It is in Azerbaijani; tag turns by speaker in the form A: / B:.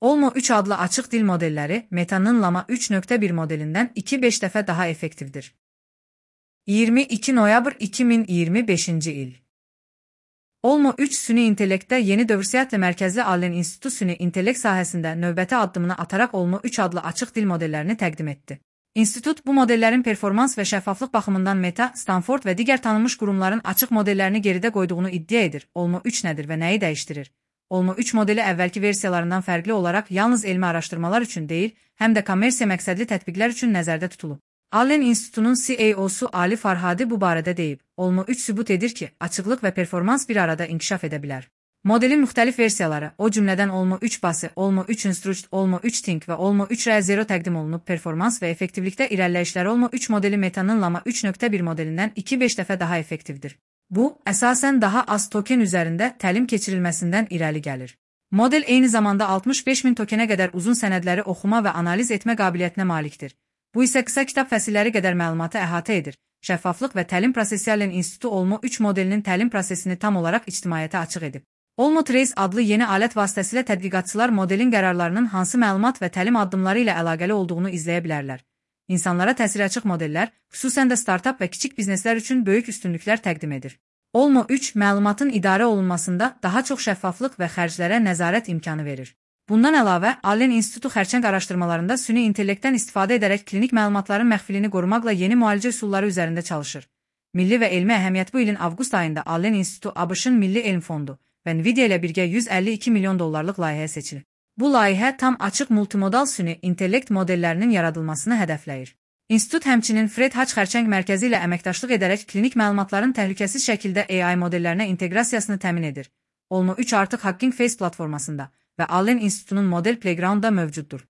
A: Olmo 3 adlı açıq dil modelləri Meta'nın Llama 3.1 modelindən 2-5 dəfə daha effektivdir. 22 noyabr 2025-ci il. Olmo 3 süni intellektdə yeni dövrsiyyətlə mərkəzli Allen İnstitutu süni intellekt sahəsində növbəti addımını ataraq Olmo 3 adlı açıq dil modellərini təqdim etdi. İnstitut bu modellərin performans və şəffaflıq baxımından Meta, Stanford və digər tanınmış qurumların açıq modellərini geridə qoyduğunu iddia edir. Olmo 3 nədir və nəyi dəyişdirir? Olmo 3 modeli əvvəlki versiyalarından fərqli olaraq yalnız elmi araşdırmalar üçün deyil, həm də kommersiya məqsədli tətbiqlər üçün nəzərdə tutulub. Allen İnstitutunun CEO-su Ali Farhadi bu barədə deyib. Olmo 3 sübut edir ki, açıqlıq və performans bir arada inkişaf edə bilər. Modelin müxtəlif versiyaları, o cümlədən Olmo 3 Basi, Olmo 3 Instruct, Olmo 3 Think və Olmo 3 R0 təqdim olunub. Performans və effektivlikdə irəliləyişlər Olmo 3 modeli Meta'nın Llama 3.1 modelindən 2-5 dəfə daha effektivdir. Bu, əsasən daha az token üzərində təlim keçirilməsindən irəli gəlir. Model eyni zamanda 65.000 tokenə qədər uzun sənədləri oxuma və analiz etmə qabiliyyətinə malikdir. Bu isə qısa kitab fəsilləri qədər məlumatı əhatə edir. Şəffaflıq və təlim prosesi Allen İnstitutu Olmo 3 modelinin təlim prosesini tam olaraq ictimaiyyətə açıq edib. Olmo Trace adlı yeni alət vasitəsilə tədqiqatçılar modelin qərarlarının hansı məlumat və təlim addımları ilə əlaqəli olduğunu izləyə bilərlər. İnsanlara təsiri açıq modellər, xüsusən də startap və kiçik bizneslər üçün böyük üstünlüklər təqdim edir. Olmo 3 məlumatın idarə olunmasında daha çox şəffaflıq və xərclərə nəzarət imkanı verir. Bundan əlavə, Allen İnstitutu xərçəng araşdırmalarında süni intellektdən istifadə edərək klinik məlumatların məxfiliyini qorumaqla yeni müalicə üsulları üzərində çalışır. Milli və elmi əhəmiyyət bu ilin avqust ayında Allen İnstitutu ABŞ-ın Milli Elm Fondu və Nvidia ilə birgə $152 milyon layihəyə seçilir. Bu layihə tam açıq multimodal süni intellekt modellərinin yaradılmasını hədəfləyir. İnstitut həmçinin Fred Hutch xərçəng mərkəzi ilə əməkdaşlıq edərək klinik məlumatların təhlükəsiz şəkildə AI modellərinə inteqrasiyasını təmin edir. Olmo 3 artıq Hugging Face platformasında və Allen İnstitutunun Model Playground-da mövcuddur.